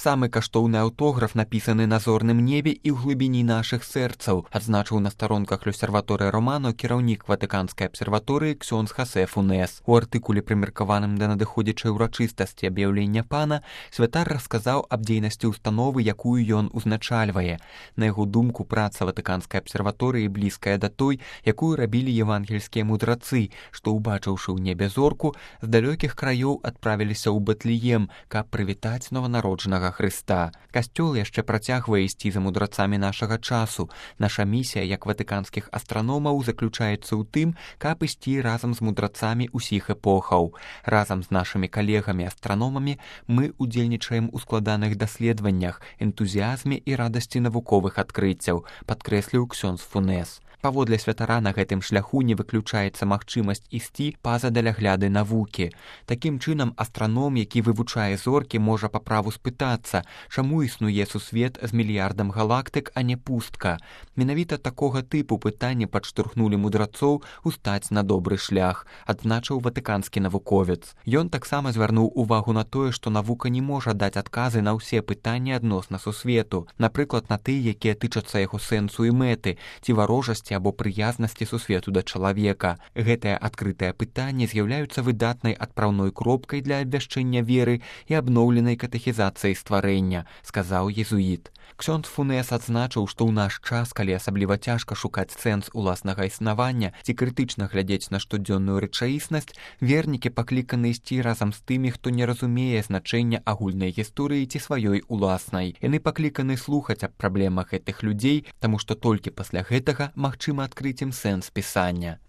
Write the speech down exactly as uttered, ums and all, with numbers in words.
Самы каштоўны аўтограф напісаны на зорным небе і ў глыбіні нашых сэрцаў, адзначыў на старонках L'Osservatore Romano кіраўнік Ватыканскай абсерваторыі ксёндз Хосе Фунес. У артыкуле, прымеркаваным да надыходзячай урачыстасці аб'яўлення пана, святар расказаў аб дзейнасці ўстановы, якую ён узначальвае. На яго думку, праца Ватыканскай абсерваторыі блізкая да той, якую рабілі евангельскія мудрацы, што, убачыўшы ў небе зорку, з далёкіх краёў адправіліся ў Бэтлеем, каб прывітаць нованароджанага Хрыста. Касцёл яшчэ працягвае ісці за мудрацамі нашага часу. Наша місія, як ватыканскіх астраномаў, заключаецца ў тым, каб ісці разам з мудрацамі ўсіх эпохаў. Разам з нашымі калегамі-астраномамі мы удзельнічаем у складаных даследаваннях, энтузіязме і радасці навуковых адкрыццяў, падкрэсліў ксёндз Фунес. Паводле святара на гэтым шляху не выключаецца магчымасць ісці па-за далягляды навукі. Такім чынам, астраном, які вывучае зоркі, можа па праву спытацца, чаму існуе сусвет з мільярдам галактык, а не пустка. Менавіта такога тыпу пытанні падштурхнулі мудрацоў устаць на добры шлях, адзначыў ватыканскі навуковец. Ён таксама звярнуў увагу на тое, што навука не можа даць адказы на ўсе пытанні адносна сусвету, напрыклад, на тыя, якія тычацца яго сэнсу і мэты, ці варожасці або прыязнасці сусвету да чалавека. Гэтыя адкрытыя пытанні з'яўляюцца выдатнай адпраўной кропкай для абвяшчэння веры і абноўленай катэхізацыі стварэння, сказаў езуіт. Ксёндз Фунес адзначыў, што ў наш час, калі асабліва цяжка шукаць сэнс уласнага існавання ці крытычна глядзець на штодзённую рэчаіснасць, вернікі пакліканы ісці разам з тымі, хто не разумее значэння агульнай гісторыі ці сваёй уласнай. Яны пакліканы слухаць аб праблемах гэтых людзей, таму што толькі пасля гэтага магчыма адкрыць ім сэнс пісання.